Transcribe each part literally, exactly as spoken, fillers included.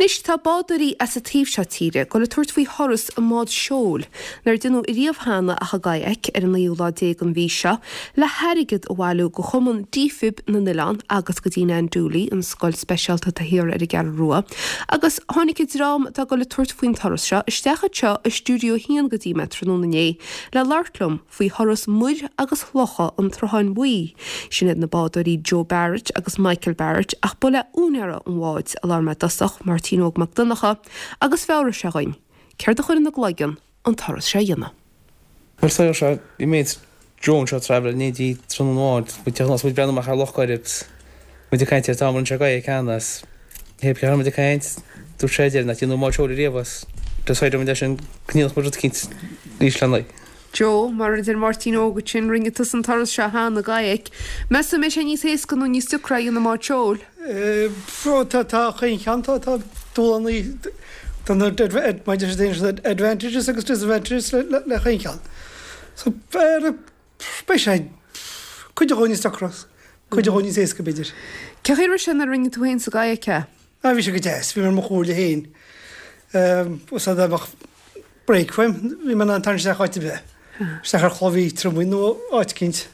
Anois tá bádóirí as an taobh seo tíre ag dul ag tabhairt faoi thuras i mbád seoil nár deineadh riamh cheana ach i gkayak ar an naoú lá déag den mhí seo le hairgead a bhailiú go Chumann Defib na nOileán agus go dtí Ann Dooley an scoil speisialta atá thiar ar an gCeathrú Rua. Agus tháinig an dream atá ag dul ag tabhairt faoin turas seo isteach anseo i stiúideo a haon go dtí mé tráthnóna inné le labhairt liom faoi thuras muir agus locha an tSrutháin Bhuí. Sin iad na bádóirí Joe Barrett agus Michael Barrett ach ba le úinéir an bháid a labhair mé i dtosach Máirtín Óg Mac Donncha agus mheabhraigh sé dhúinn. Céard a chuir ina gcloigeann an turas seo a dhéanamh. Well seo seo bhí mé drone seo travel ní dí tron amháin muid muid breathnú amach ar Loch Coirib muid ag caint ar tam an se gae ceannas Hé cean muid ag caint dúirt sé deir nach nó má seoil riamh Decided muid sin cníoch mu cint níos lenaí. Joe, mar a deir Máirtín Óg sin rinne tú an turas seo cheana i gkayak. Meas tú an mbeidh sé níos éasca nó níos deacra i mbád seoil? Tá tá chaon cheann tá tá dúshláin advantages agus disadvantages le chaon cheann. So beidh sé cuid de níos deacra, cuid de níos éasca b'fhéidir. Cé chaoi sin a rinne tú féin sa gkayak é? A bhí sé go deas, bhí mar mo chomhairle féin. Úsáid bheadh brake fuaim, bhí mé an tar se áit bheith. Isteach ar chlobhí triomaigh nó áit eicínt.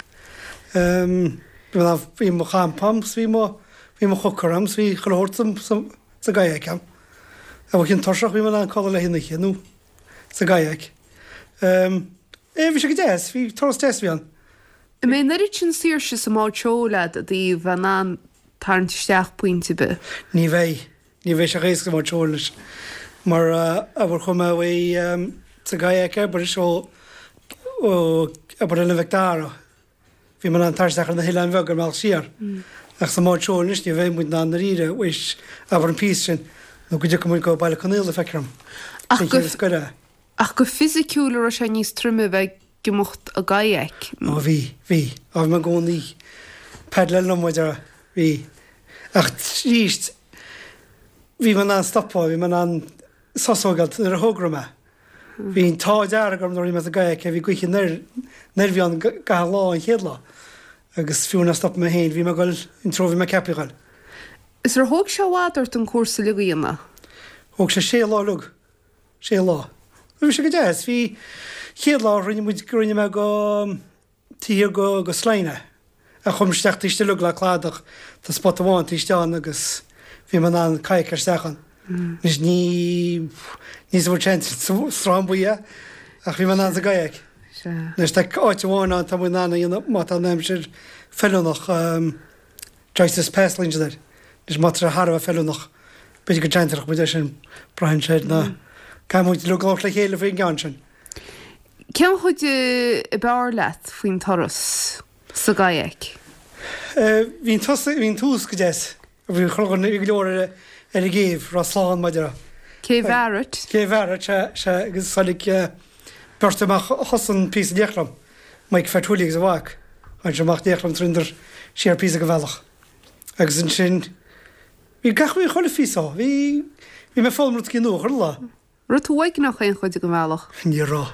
Bhí mo champa agam, bhí mo bhí mo chooker agam, bhí chuile shórt sa gkayak agam. A bh cinn tuirseach bhí mé an codladh le híche nó sa gkayak. É bhí sé go deas, bhí turas deas bhí an. An mbeidh an oiread sin saoirse sa mbád seoil agat i dtaobh bheith in ann tarraingt isteach pointe ar bith. Ní bheidh, ní bheidh sé éasca bád seoil leis. Mar a bhur chum mé uaidh sa gkayak abair seo ó abair Oileán Mhic Dara. Bhí mé in ann tarraingt isteach ar na hoileáin bheaga ar an mbealach siar. Ach sa mbád seoil anois ní bheidh muid in ann dáiríre uis abair an píosa sin nó go dtiocfaidh muid go Baile Conaola feictear dom. Ach Sin go chéad scoir é. ach go fisiciúil a raibh sé níos troime bheith ag imeacht i gkayak. Ó bhí, bhí, á bhí mé i gcónaí paddle liom muid a bhí. Ach arís bhí mé in ann stopadh, bhí mé in ann sos a thógáil nuair a thograigh mé. Bhí an t-ádh dearg orm nuair a bhí mé sa gkayak, bhí gaoithe anoir anoir bhí ann gach lá an chéad lá. Agus fiú nár stop mé féin, bhí mé ag dul an treo bhí mé ceaptha a dhul. Is ar thóg sé i bhfad ort an cúrsa uilig a dhéanamh? Thóg sé sé lá uilig. Sé lá. Bhí sé go deas, bhí chéad lá rinne muid rinne mé go tír go go Sláine a chum isteach taobh istigh uilig le cladach tá spot amháin taobh istigh ann agus bhí mé in ann kayak isteach ann. Anois ní ní sa bhfuil sa Sruthán Buí ach bhí mé in ann sa gkayak. Anois tá áit amháin ann tá muid in ann a dhéanamh má tá an aimsir feiliúnach Joyce's Pass glaonn siad air. Anois má tá sé thar a bheith feiliúnach b'fhéidir go dteanntarach muid é sin braitheann sé ar na caithfidh muid uilig labhairt le chéile faoin gceann sin. Cén chuid ab fhearr leat faoin turas sa gkayak? Bhí an tús bhí an tús go deas. Bhí chur bhí go leor ar ar an gcéibh raibh slán maidir. Cé Bharrett? Cé Bharrett sé sé agus tháinig beirt amach thosaigh píosa in éineacht liom. Mike Fatwilly agus a mhac. Tháinig sé amach in éineacht liom trínar siar píosa go bhealach. Agus ansin bhí gach bhí chuile phíosa bhí bhí mé foghlaim rud nua chuile lá. Raibh tú uaigneach aon chuid den bhealach? Ní raibh.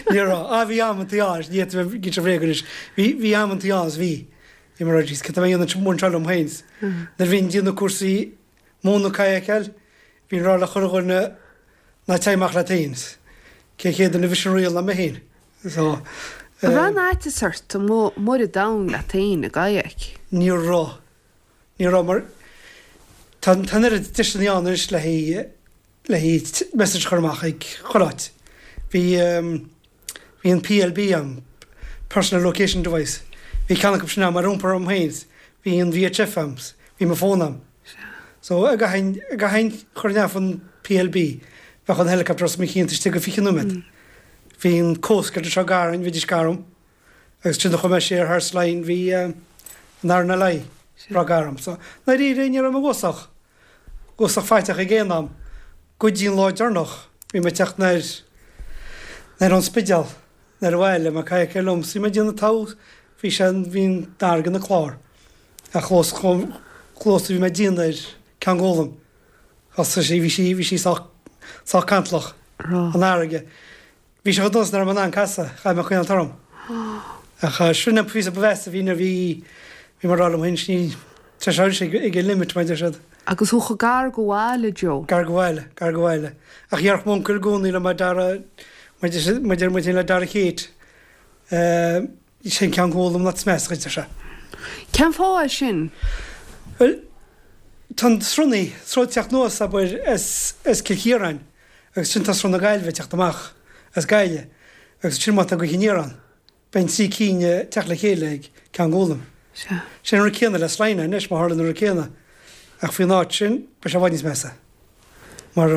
Ní raibh. A bhí amantaí ann, ní gin sé bhréag anois. Bhí bhí amantaí ann bhí. Bhí mar rá cad tá mé a dhéanamh anseo liom féin. Nuair a bhíonn déanamh cúrsaí múineadh kayakáil, bhíonn rá le chuile dhuine ná téigh amach leat féin. Cé chéad duine a bhris an riail ná mé féin. So An raibh an fhaitíos ort amuigh ar an domhan leat féin i gkayak? Ní raibh. Ní raibh mar tá tá an oiread deiseanna ann anois le haghaidh le haghaidh message a chur amach ag chuile áit. Bhí bhí an PLB ann, Personal Location Device. Bhí ceann acu sin ann mar iompar orm féin. Bhí an VHF ann, bhí mo fón ann. So a gcaithfinn a gcaithfinn chur neamh an PLB, bheadh an helicopter os mo chionn istigh go fiche nóiméad. Bhí an Coast Guard anseo gar dúinn, bhídís gar dom. Agus trína chum mé siar thar Slane bhí an RNLI breá gar dom. So dáiríre ní raibh mé uafásach uafásach faiteach ag aon am. Go dtí an lá deireanach bhí mé ag teacht anoir anoir ón Spidéal anoir abhaile mé kayak liom. So bhí mé ag déanamh togha bhí sé bhí an fharraige ina clár. Ach clós clós bhí mé ag déanamh ar Ceann Gólaim. Thosaigh sí bhí sí bhí sí sách sách cantalach an fharraige. Bhí sé chomh dona is nach raibh mé in ann casadh, chaith mé coinneáil orm. Ach sin an píosa ba mheasa bhí nuair bhí bhí mé ag rá liom féin ní tá sé ag ag an limit mar deir siad. Agus thú chomh gar go bhaile, Joe. Gar go bhaile, gar go bhaile. Ach dhéarfadh m'uncail i gcónaí liom a Dara, muid muid muid le Dara Kate, eh, sin Ceann Gólaim an áit is measa dhuit, ar sé. Cén fáth é sin? Bhuel, tá an sruth, sruth ag teacht anuas, abair, as, as Cill Chiaráin agus ansin tá sruth na Gaillimhe ag teacht amach as Gaillimh agus ansin má tá gaoth aniar ann, beidh an trí cinn ag teacht le chéile ag Ceann Gólaim. Sea. Sin an rud céanna le Slyne anois, má tharlaíonn an rud céanna. Ach faoin áit sin, beidh sé i bhfad níos measa. Mar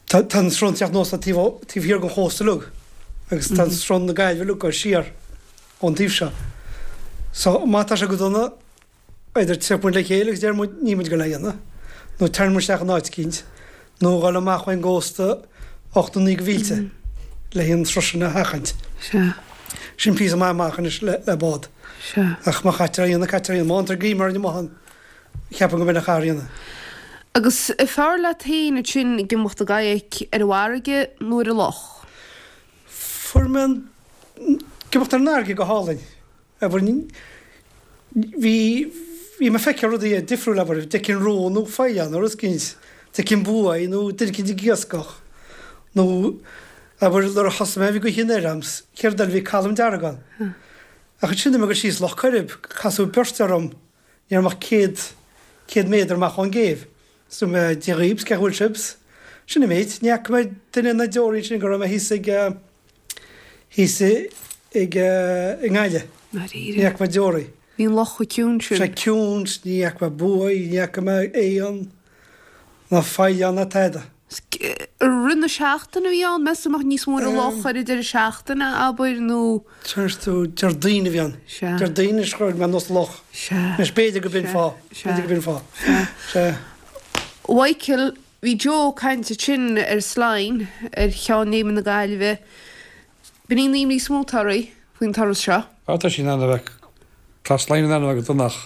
tá, tá an sruth ag teacht anuas taobh, taobh thiar den chósta uilig agus tá an sruth na Gaillimhe uilig ag dul siar ón taobh seo. So, má tá sé go dona, either tiocfaidh muid le chéile agus déarfaidh muid níl muid ag dul é a dhéanamh, nó tarraingeoidh muid isteach in áit eicínt, nó dhul amach ón gcósta ocht nó naoi de mhílte le an sruth sin a sheachaint. Sea. Sin píosa maith amach anois le le bád. Sea. Ach má chaitear é a dhéanamh, caitear é a dhéanamh. Má fhantar greim orainn amuigh ann, cheapfainn go mbeidh an chathair a dhéanamh. Agus an fearr leat féin ansin ag imeacht i gkayak ar an bhfarraige nó ar an loch? Fuair mé an ag imeacht ar an fharraige go hálainn. Abair, bhí, bhí mé ag feiceáil rudaí difriúil, abair, d'fheicfinn ró nó faoileán nó rud eicínt, d'fheicfinn buaidh nó duine eicínt ag iascach nó, abair, nuair a thosaigh mé bhí gaoth anoir a'm, céard eile, bhí calm dearg ann. Ach ansin bhí mé ag dul síos Loch Coirib, casadh beirt orm, ní raibh mé ach céad, céad méadar amach ón gcéibh. So mé, Dia dhaoibh, 's cén chaoi a bhfuil sibh? 's sin an méid. Ní fhaca mé duine ná deoraí ansin go raibh mé thíos ag, thíos ag, i nGaillimh. Ní fhaca mé deoraí. Bhí an loch chomh ciúin sin. Sé ciúin, ní fhaca mé buaidh, ní fhaca mé éan, ná faoileán ná tada. I rith na seachtaine a bhí ann, meas tú an mbeadh níos mó ar an loch ar an deireadh seachtaine, abair, nó. Deir tú, Déardaoin a bhí ann. Sea. Déardaoin is chuir mé anuas an loch. Sea. Anois b'fhéidir go b'in fáth. Sea. B'fhéidir go b'in fáth. Sea. Sea. Mhichael, bhí Joe ag caint ansin ar Slyne, ar Cheann Léime na Gaillimhe. B'in í an imní is mó atá oraibh faoin turas seo. Á, tá sí in ann a bheith, tá Slyne in ann a bheith go dona ach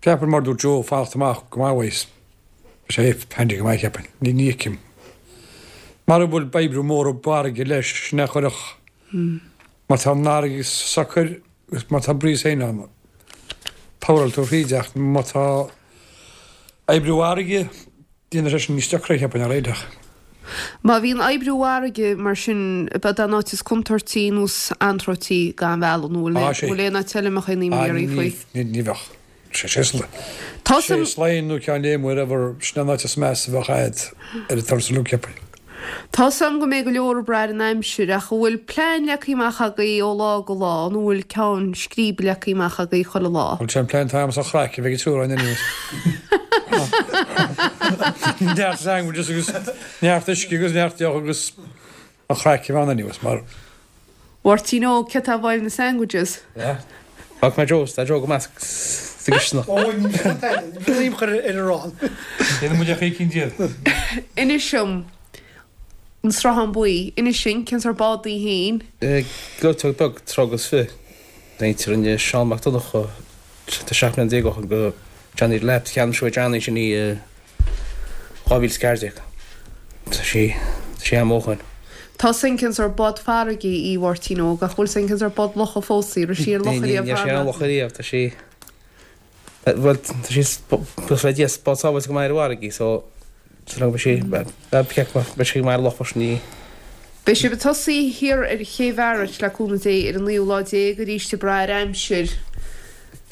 ceapaim mar dúirt Joe, fanacht amach go maith uaidh. Tá sé handy go maith cheapfainn. Ní ní fheicim. Mara bhfuil oibriú mór i bhfarraige leis, sin é a chuirfeadh. Má tá an fharraige socair agus má tá breeze féin ann, poweráil tú thríd ach má tá oibriú farraige, déanfaidh sé sin níos deacra cheapfainn ar réiteach. Má bhíonn oibriú farraige mar sin, ab ea an áit is contúirtí nó is anróití den bhealach nó Á, sé. bhfuil aon áit eile a mbeadh aon imní Á, oraibh ní, faoi? ní, ní bheadh. Sé sé Tá sé san. Slyne nó Ceann Léime wherever, sin an áit is measa a bheadh a'd ar an turas uilig cheapfainn. Tá 's a'm go mbeidh go leor ag brath ar an aimsir ach an bhfuil plean leagtha amach agaibh ó lá go lá nó an bhfuil ceann scríbe leagtha amach agaibh chuile lá? Bhuel sé an plean atá a'm is an chraic a bheidh ag triúr againn anyways. Neart sandwiches agus neart uisce agus neart deoch agus an chraic a bheidh ann anyways mar. Mháirtín Óg, cé atá ag fáil na sandwiches? Fágfaidh mé Joe, tá Joe go maith sa gcisteanach. Ó, ní bhíonn aon chur ar an arán. Déanann muid ach cinn díobh. Inis dom, an Sruthán Buí, inis dúinn, cén sórt bád í féin? Gleoiteog beag troigh agus fiche. Deintear rinne Seán Mac Donncha, tá seacht mbliana déag ó shin, go Johnny Delap, cheannaigh sé uaidh Johnny sin í i dhá mhíle is ceathair déag. Tá sí, tá sí am ó shoin. Tá 's a'm cén sórt bád farraige í a Mháirtín Óg, ach bhfuil 's a'm cén sórt bád locha fós í, raibh sí ar loch Ní, ní, ariamh níl sí ar cheana? loch ariamh, tá sí, bhuel, tá sí, buíochas le Dia, is bád sábháilte go maith ar an bhfarraige í, so, so beidh sí, beidh beidh sí go maith ar loch freisin í. Beidh sibh ag tosaí thiar ar Ché Bhearait le cúnamh Dé ar an naoú lá déag arís ag brath ar aimsir.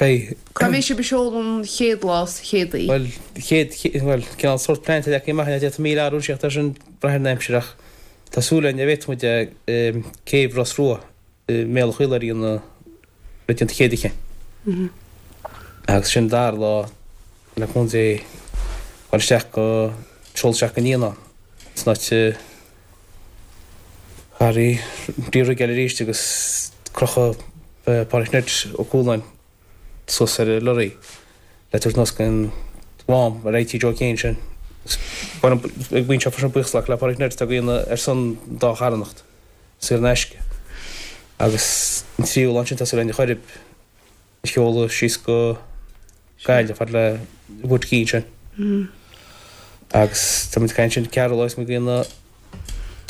Beidh. Cá mbeidh sibh ag seoladh an chéad lá sa Chéadaoin? Bhuel, chéad, bhuel, cineál sórt plean atá leagtha amach againn, d'fhéadfadh míle athrú ansin ach tá sin ag brath ar an aimsir ach tá súil againn, dá bhféadfadh muid é, céibh Ros Rua i mBéal an Chaoláire a dhéanamh le déanamh chéad oíche. Agus sin dara lá le cúnamh Dé dul isteach go, seoladh isteach go Nianán san áit a Harry Dia eile arís agus crochadh Pádraig Ned Ó Cualáin suas ar an lorry le tabhairt anuas go an Mhám ar IT Joe Kane sin. Ag baint seo freisin buíochas le Pádraig Ned atá ag déanamh ar son dá charthanacht saor in aisce. Agus an tríú lá ansin tá súil againn an Choirib a sheoladh síos go Gaillimh fad le Wood Keane sin. Agus tá muid ag caint sin ceathrú lá is muid ag déanamh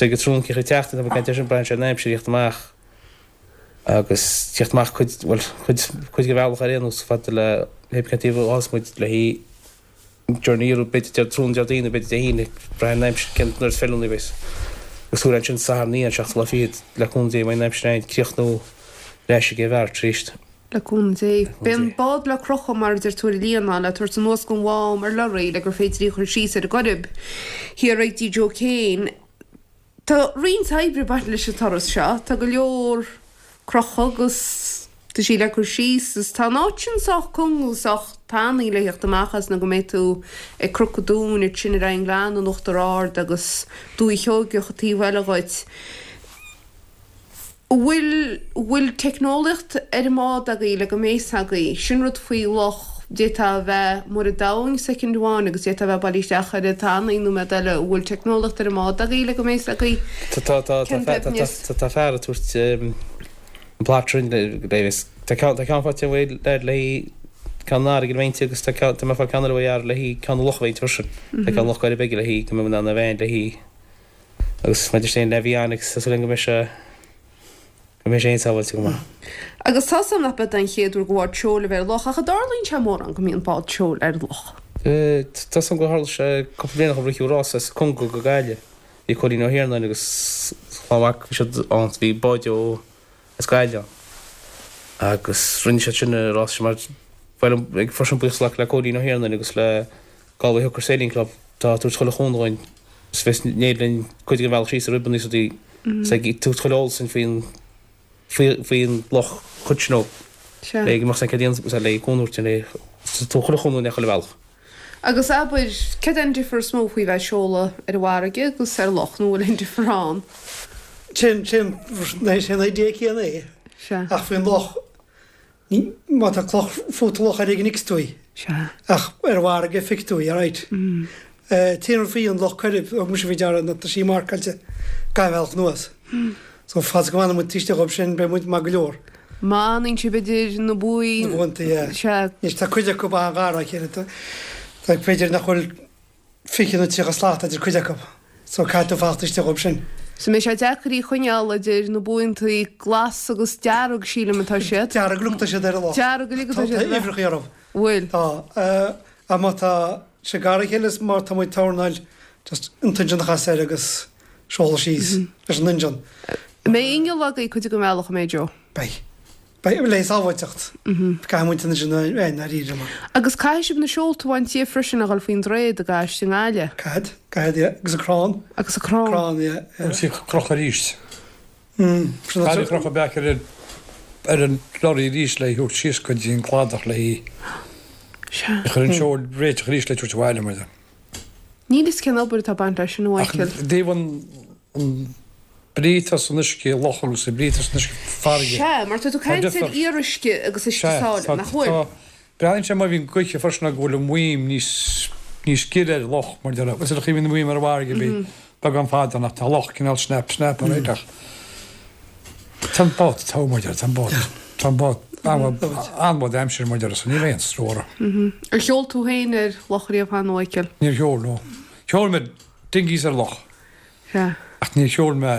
ag an trúnc ag teacht tá muid ag caint air sin braitheann sé ar an aimsir a theacht amach agus teacht amach cuid, bhuel, cuid, cuid de bhealach ar aon nós fad le hé cén taobh a fhás muid le hí journey iarraidh b'fhéidir Dé tráthnóna Déardaoin nó b'fhéidir Dé hAoine ag brath ar an aimsir cén nuair is feiliúnaí a bheas. Agus thuar ansin Satharn an seachtú lá fichead le cúnamh Dé má bhíonn an aimsir ann críochnú ar ais ag an bhfear tar éis. Le cúnamh Dé. Beidh an bád le crochadh mar a deir tú ar an líonán le tabhairt anuas gon mhám ar lorraí le gur féidir í a chur síos ar an gcoirib thiar ag dtí Joe Kane. Tá roinnt oibre ag baint leis an turas seo. Tá go leor crochadh agus tá sí le cur síos is tá an áit sin sách cúng agus sách tanaí le theacht amach as nó go mbeidh tú ag Cnoc an Dúin ansin ar aghaidh an Ghleanna in Uachtar Ard agus Dúiche Sheoigeach an taobh eile dhuit. Bhfuil bhfuil teicneolaíocht ar an mbád agaibh le go mbeidh 's agaibh? Sin rud faoi loch, d'fhéadfá a bheith amuigh ar an domhain soicind amháin agus d'fhéadfá a bheith bailithe isteach ar an tanaí nóiméad eile. Bhfuil teicneolaíocht ar an mbád agaibh le go mbeidh 's agaibh Tá tá tá cén tá doimhneas? tá tá fear ag tabhairt an plat sin le le tá ceann tá ceann faighte uaidh le le ceann an fharraige a bhaint agus tá ceann tá mé ag fáil ceann eile uaidh le ceann na locha a bhaint freisin. Tá ceann Loch Coirib aige le go mbeidh in ann a bheith le agus maidir sin le avionics tá súil agam go mbeidh sé go mbeidh sé insábháilte go maith. Agus tá 's agam nach b'é an chéad uair go bhád seoil a bheith ar loch ach an dtarlaíonn sé mórán go mbíonn bád seoil ar loch. Tá 's agam gur tharla sé cúpla bliain ó shin ritheadh rás as Conga go Gaillimh. Bhí Cóilín Ó hIarnáin agus a chlann mhac bhí siad ann bhí bád ó as Gaillimh ann. Agus rinne siad sin an rás sin mar bhuel ag freisin buíochas le Cóilín Ó hIarnáin agus le Galway Hooker Sailing Club tá tabhairt chuile chúnamh dúinn is bheas néad linn cuid den bhealach síos ar ribeanna is rudaí is ag tabhairt chuile eolas dúinn faoin faoi faoin loch chuid sin ó Sea. le go mbeadh sé céad le cúnamh a thabhairt le tabhairt chuile chúnamh dúinn chuile bhealach. Agus abair, cad é an difear is mó faoi bheith ag seoladh ar an bhfarraige agus ar loch, nó bhfuil aon difear ann? Sin, sin, sin an idea céanna é. Sea. Ach faoin loch, ní, má tá cloch fút loch ar éigean fheiceann tú í. Sea. Ach ar an bhfarraige feicfidh tú í, alright. An t-aon rud faoi an Loch Coirib, thug mise faoi deara ná tá sí marcáilte gach bealach anuas. So fad is go bhfanann muid taobh istigh dhób sin beidh muid maith go leor. Má fhanann sibh idir na buí. Na buantaí, yeah. Sea. Anois tá cuid acu an-ghar dá chéile. Tá, tá b'fhéidir nach bhfuil fiche nó tríocha slat idir cuid acu. So caithfidh tú fanacht istigh dhób sin. So mbeidh sé deacair í a choinneáil idir na buantaí glas agus dearg sílim atá siad. Dearg uilig atá siad ar an loch. Dearg uilig atá Tá siad. tá uimhreacha orthu. Bhfuil. Tá. Uh, ach má tá sé gar dá chéile is má tá muid tornáil just an t-injin a chasadh air agus seoladh síos leis an injin. Mbeidh inneall agaibh cuid den bhealach an mbeidh Joe. Beidh. Beidh le sábháilteacht. Caithfidh muid an injin a bheith ndáiríre mar. Agus caithfidh sibh na seolta a bhaint díobh freisin a dhul faoin droichead ag ais i nGaillimh. Caithfidh, caithfidh, yeah. Agus an crann. Agus an crann. Crann, yeah. yeah. Agus í crochadh arís. Mm. Sin Caithfidh crochadh back ar an ar an lorry arís le thabhairt síos go dtí an cladach le hí. Sea. Chur an seol réiteach arís le tabhairt abhaile mar. Níl fhios cén obair atá baint leis sin a Ach Mhichael. dtaobh an an brí atá san uisce loch agus an brí atá san uisce farraige. Sea, mar tá tú Tá caint ar difear. fhíoruisce agus uisce Sea, sáile, tá- nach bhfuil? tá- Breathnaíonn sé má bhíonn gaoithe freisin go bhfuil an mhaidhm níos níos giorra ar loch mar deir. Is a bhíonn an mhaidhm ar an bhfarraige bhí beagán fada nach tá loch cineál snap snap ar ach. Tá an bád tá mar deir, tá an bád. Tá an bád an-mhaith d'aimsir mar deir, so ní bheidh aon stró orthu. Ar sheol tú féin ar loch riamh cheana, a Mhichael? Níor sheol no. Sheol mé dinghies ar loch. Sea. Ach níor sheol mé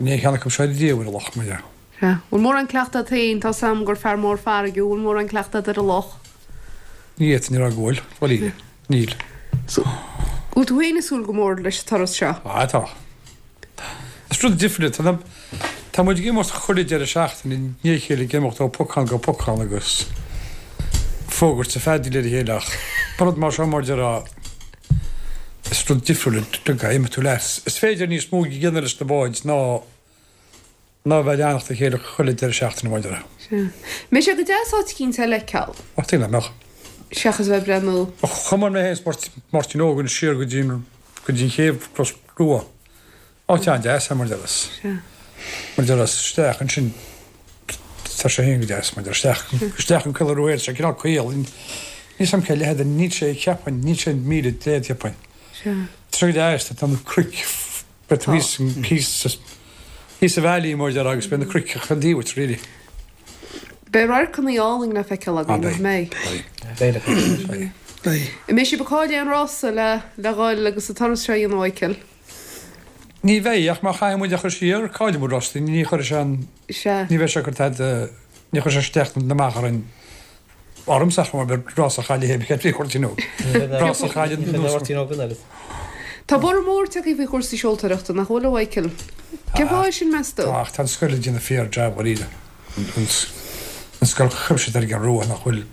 ní cheann acu seo riamh ar loch mar deir. Sea. Bhfuil mórán cleachtadh agat féin, tá 's agam gur fear mór farraige, bhfuil mórán cleachtadh agat ar an loch? Ní fhéadfainn a rá go bhfuil, bhuel níl. Níl. So, bhfuil tú féin ag súil go mór leis an turas seo? Ah, tá. Is rud difriúil, tá na- tá muid ag imeacht chuile deireadh seachtaine ní chéile ag imeacht ó pocán go pocán agus fógairt sa feadaíl ar a chéile ach rud mar seo mar deir is rud difriúil go imeacht tú leis. Is féidir níos mó a dhéanamh leis na báid ná ná bheith ag leanacht a chéile chuile deireadh seachtaine mar deir. Sea. Mbeidh sé go deas áit eicínt a fheiceáil. Ach tuigim nach. Seachas bheith ag breathnú. Chuamar mé féin is Máirtín Óg siar go dtí go dtí chéibh Ros Rua. Áit an-deas é mar deir. Sea. Mar deir isteach ansin tá sé féin go deas mar deir isteach isteach an Coill Rua sé cineál caol. Ní sam cé leithead níl sé cheapfainn níl sé míle déad cheapfainn. Sea. Tá sé go deas tá na cnoic bet thíos thíos thíos sa valley mar deir agus beidh na cnoic chun díobhait really. Beidh radharcanna álainn le feiceáil againn, Ah, nach mbeidh? Beidh. Beidh. Beidh. An mbeidh sibh ag cailleadh aon rása le le dhul agus an turas seo a dhéanamh, a Mhichael? Ní bheidh ach má chaithfidh muid a chur siar caillfidh muid rástaí ní chuirfidh sé an Sea. ní bheidh sé cur tada ní chuirfidh sé isteach na amach orainn Ormsa mar rás a chaille cé trí chuirtíú. Rás a chaille. Tá borradh mór tagtha faoi chúrsaí seoltóireachta, nach bhfuil, a Mhichael? Cén fáth é sin, meas tú? Ach tá an scoil ag déanamh fíor jab dáiríre. An scoil chuimsitheach ar an gCeathrú Rua nach bhfuil.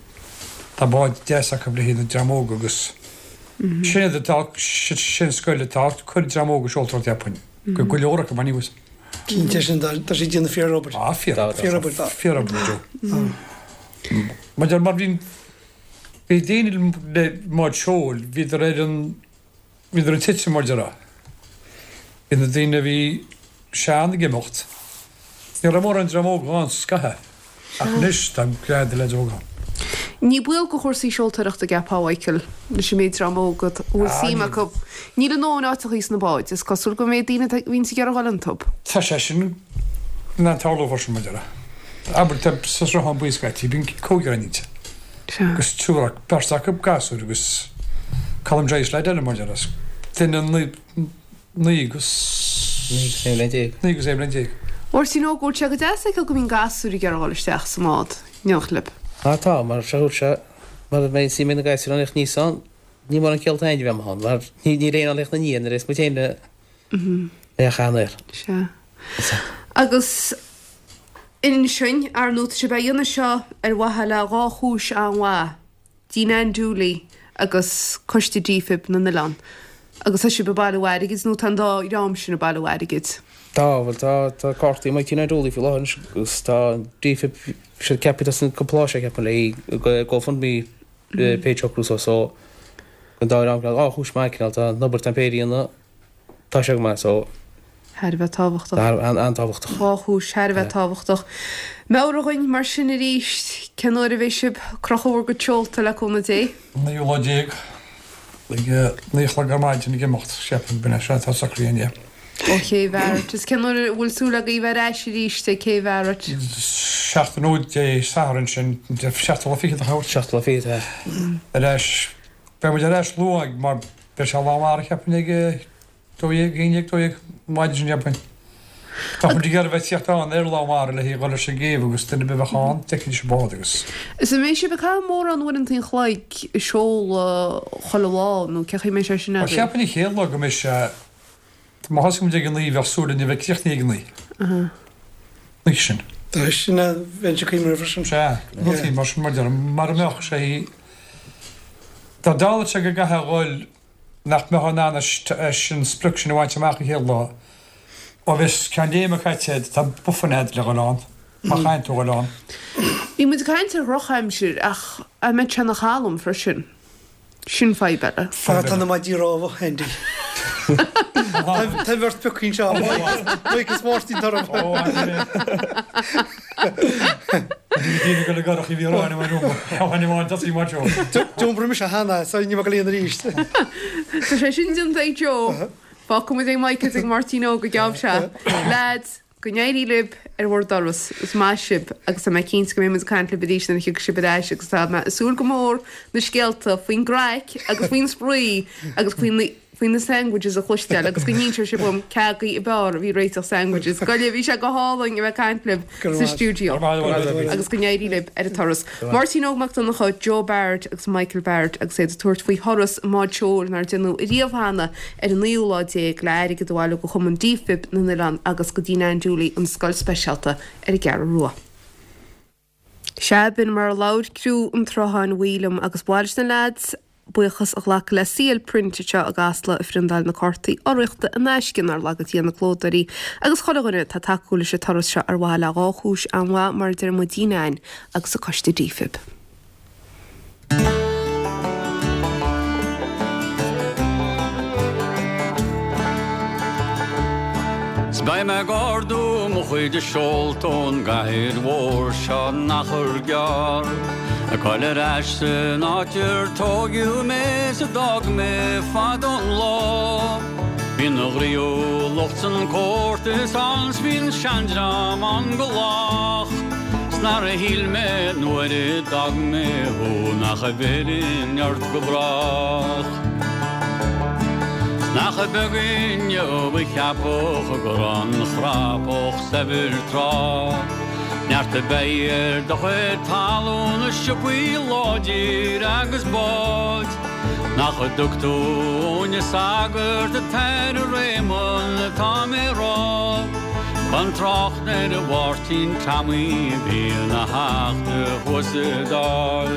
Tá báid deas acu le haghaidh na dream óg agus sin iad atá sin scoil atá cuir dream óg ag seoltóireacht cheapfainn. Go go leor acu anyways. Cinnte sin tá siad ag déanamh fíor obair. Ah fíor fíor obair tá. Fíor obair Joe. Mar mar bhí bhí daoine le mbád seoil bhíodar ar an bhíodar ag titim mar déarfá. Bhí na daoine a bhí sean ag imeacht. Ní raibh mórán dream óg ann scaitheamh. Ach anois tá leaid de leaid óg ann. Ní baol do chúrsaí seoltóireachta ceapfá, a Mhichael, leis an méid dream óg a bhfuil suim acu. Níl a ndóthain áiteachaí sna báid, is cosúil go mbeidh daoine a bhíonns ag iarraidh dhul iontu. Tá sé sin in ann tarlú freisin, mar déarfá. Abair, tá sa Sruthán Buí scaití, bíonn cúigear ann inti. Agus triúr acu, beirt acu gasúir agus Colm Joyce leaid eile, mar déarfá. Duine naoi, naoi agus. Naoi agus aon bhliain déag. Naoi agus aon bhliain déag. Máirtín Óg, bhfuil sé go deas a fheiceáil go mbíonn gasúir ag iarraidh dhul isteach sa mbád, in éineacht libh. Á tá, mar seo thuas seo, mar a mbeidh suim ag na gasúir ann níos ann, ní mór an ciall féin a bheith ann, mar ní níl aon fháil na ndiaidh nuair is muid féin le le chan air. Sea. Agus ansin, ar ndóigh, tá sibh á dhéanamh seo ar mhaithe le dhá chúis an-mhaith, Dean Ann Dooley agus Coiste DFib na nOileán. Agus tá sibh ag bailiú airgid, nó tá an dá dhream sin ag bailiú airgid? Tá, bhuel tá, tá cártaí amuigh ag Dean Ann Dooley faoi láthair anois agus tá DFib, siad ceaptha as an cúpla lá seo ceapaim le GoFundMe page a shocrú so, so an dá dhream, dhá chúis maith cineál, tá an obair tá an péire a dhéanamh, tá sé go maith so. Thar a bheith tábhachtach. An-tábhachtach. Dhá chúis thar a bheith tábhachtach. Meabhraigh dhuinn mar sin arís, cén uair a bheidh sibh ag crochadh bhur gcuid seolta le cúnamh Dé? Naoú lá déag, ag naoi a chlog ar maidin ag imeacht, ceapaim, b'in é, sin atá socraithe againn. Ó Ché Bharrett. Is cén uair a bhfuil súil agaibh bheith ar ais arís ag Cé Bharrett? Seachtain ó Dé Sathairn sin, seachtú lá fichead a thabhairt. Seachtú lá fichead, é. Ar ais, beidh muid ar ais luath mar beidh sé lán mara cheapfainn ag dó dhéag, aon dhéag, dó dhéag, maidin sin cheapfainn. Tá muid ag iarraidh bheith tíocht ann ar lán mara le haghaidh dhul leis an gcéibh agus duine ar bith a bheadh ann, d'fheicfidís an bád agus. Is an mbeidh sibh ag caitheamh mórán uaireanta an chloig ag seoladh chuile lá nó cén chaoi a mbeidh sé sin Bhuel agaibh? cheapfainn an chéad lá go mbeidh sé, má thosaíonn muid ag a naoi bheadh súil linn a bheith críochnaithe ag a naoi. Aha. An oíche sin. Tá sin a bheinn ag cuimhneamh freisin. Sea, rudaí mar sin mar deirim, mar a mbeadh sé, dá dtarlódh sé go gcaithfeá a dhul nach mbeifeá in ann an sprioc sin a bhaint amach an chéad lá. Ó bheas ceann léime caite agat, tá buffer agat le dhul ann, má chaitheann tú a dhul ann. Bhí muid ag caint ar dhrochaimsir ach an mbeidh sé ina chalm freisin? Sin fadhb eile. Fadhb Tá na maidí romhaibh, Andy. Tá bheirt piocaí anseo, Mike is Máirtín orm. Ó, Bhí go le garach i bhí ráin mar amháin tosaí mar seo. D'iompair mise cheana, so ní bheadh líon arís. Tá sé sin déanta ag Joe. Fágfaidh muid ag Mike is ag Máirtín Óg go gceann seo. Lads, go n-éirí libh ar bhur dturas. Is maith sibh agus tá mé cinnte go mbeidh muid ag caint libh arís nuair a thiocfaidh sibh ar ais agus tá mé ag súil go mór na scéalta faoin gcraic agus faoin spraoi agus faoi na faoi na sandwiches a chloisteáil agus go n-inseoidh sibh dom cé agaibh ab fhearr a bhí ag réiteach sandwiches. Gabh i leith, bhí sé go hálainn a bheith ag caint libh sa stiúideo agus go n-éirí libh ar an turas. Máirtín Óg Mac Donncha, Joe Barrett agus Michael Barrett agus iad ag tabhairt faoi thuras i mbád seoil nár déanadh ariamh cheana ar an naoú lá déag le airgead a bhailiú do Chumann DFib na nOileán agus go Dean Ann Dooley, an scoil speisialta ar an gCeathrú Rua. Sea, b'in mar a labhair criú an tSrutháin Bhuí liom agus ba mhaith leis na leaids buíochas a ghlacadh le CL Print anseo i gCasla a phriondáil na cártaí urraíochta in aisce nár laga Dia na clódóirí agus chuile dhuine atá ag tacú leis an turas seo ar mhaithe le dhá chúis an-mhaith mar a deir muid Dean Ann agus an Coiste DFib. 'S beidh mé ag ardú mo chuid seolta ón gcathair mhór seo in achar gearr, Ag goil ar ais san áit ar tóigeadh mé 's a d'fhág mé fadó an lá. Bíonn an ghnaíúlacht 's an comórtas ann 's bíonn seandream ann go lách, 's nár shíl mé nuair a d'fhág mé thú nach bhfillfinn ort go brách. 'S nach beag inniu a cheapfadh go raibh an chrapach saibhir tráth. Neart a bheidh ar do chuid talún is siopaí láidir agus báid. Nach dtug tú na sagairt atá ar Réamonn atá mé rá. Gan trácht ar a Mháirtín Tommy a bhí ina theachta thuas sa Dáil.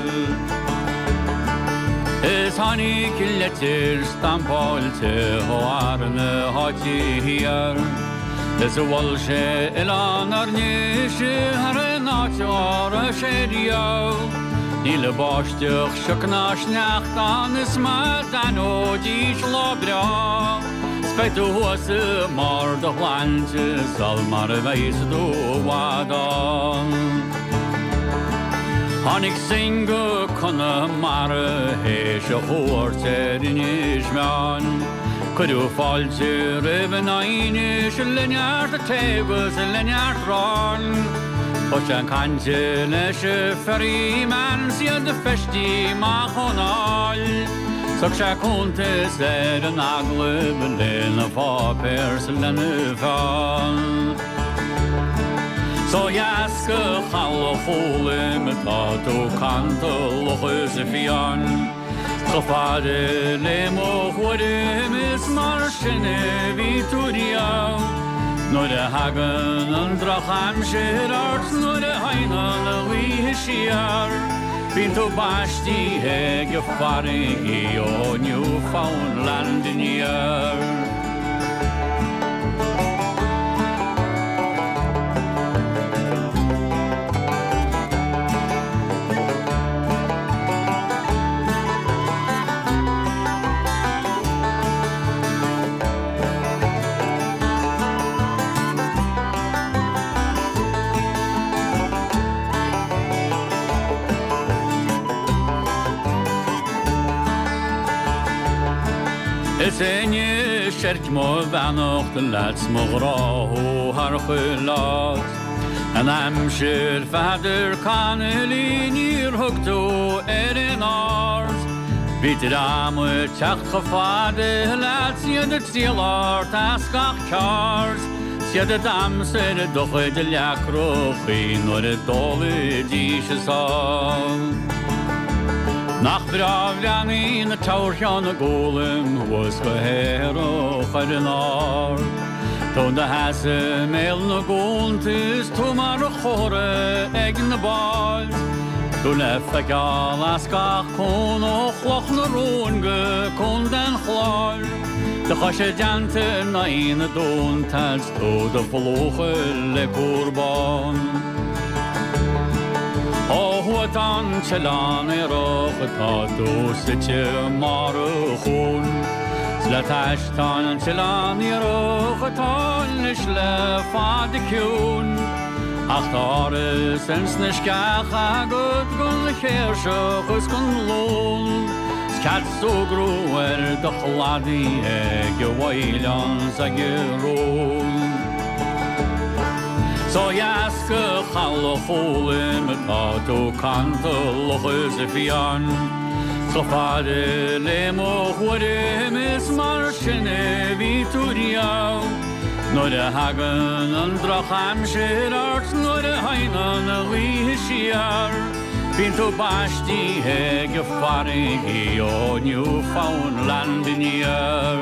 Is tháinig leitir stampáilte ó fhear na háite thiar. Is a mhol sé oileán ár nDéise thar aon áit a raibh sé riamh. Níl báisteach sioc ná sneachta ann is má d'aithneoidís lá breá. 'S beidh tú thuas i mbarr do shláinte sul mar a bheas tú i bhfad ann. Tháinig Synge go Conamara théis a chuairt ar Inis Meáin. Cuireadh fáilte roimh an aighneas le neart tae agus le neart aráin. Thosaigh sé ag caint leis an ferryman 's iad feistithe amach ón áil. Thug sé cuntas ar an agallamh lena pháipéar 's lena pheann. 'S ó dheas go Chaladh Chóilm atá tú cantalach is fiáin. Chomh fada le mo thuairim is mar sin a bhí tú riamh. Nuair a thagann an drochaimsir ort nuair a théann an ghaoth siar. Bíonn tú baistithe ag an bhfarraige ó Newfoundland aniar. Is inniu seirc mo bheannacht leat 's mo ghrá thú thar chuile áit. An aimsir Pheadair Connolly níor thug tú ar an aird. Bhí dream ag teacht chomh fada leat 's iad ag triall ort as gach ceard. 'S iad ag damhsa ar do chuid leacrachaí nuair a d'ólaidís a sáith. Nach breá bhreathnaíonn na toghcheann a gcólaim thuas go haerach ar an ard. Tú i do sheasamh i mbéal na gcuanta is tú mar chomhartha ag na báid. Tú le feiceáil as gach cuan ó Chloch na Rón go Contae an Chláir. Do chois i dteannta in aghaidh na dtonnta 's tú do phlúchadh le cúr bán. Ó thuaidh tá an t-oileán aerach atá tú suite i mbarr an chuain. 'S le t'ais tá an t-oileán aerach atá anois le fada ciúin. Ach tá áras ins na sceacha agat gon chéirseach is gon lón. 'S cead súgradh ar do chladaí ag an bhfaoileán 's ag an rón. 'S ó dheas go Chaladh Chóilm atá tú cantalach is fiáin. Chomh fada le mo thuairim is mar sin a bhí tú riamh. Nuair a thagann an drochaimsir ort nuair a théann an ghaoth siar. Bíonn tú baistithe ag an bhfarraige ó Newfoundland aniar.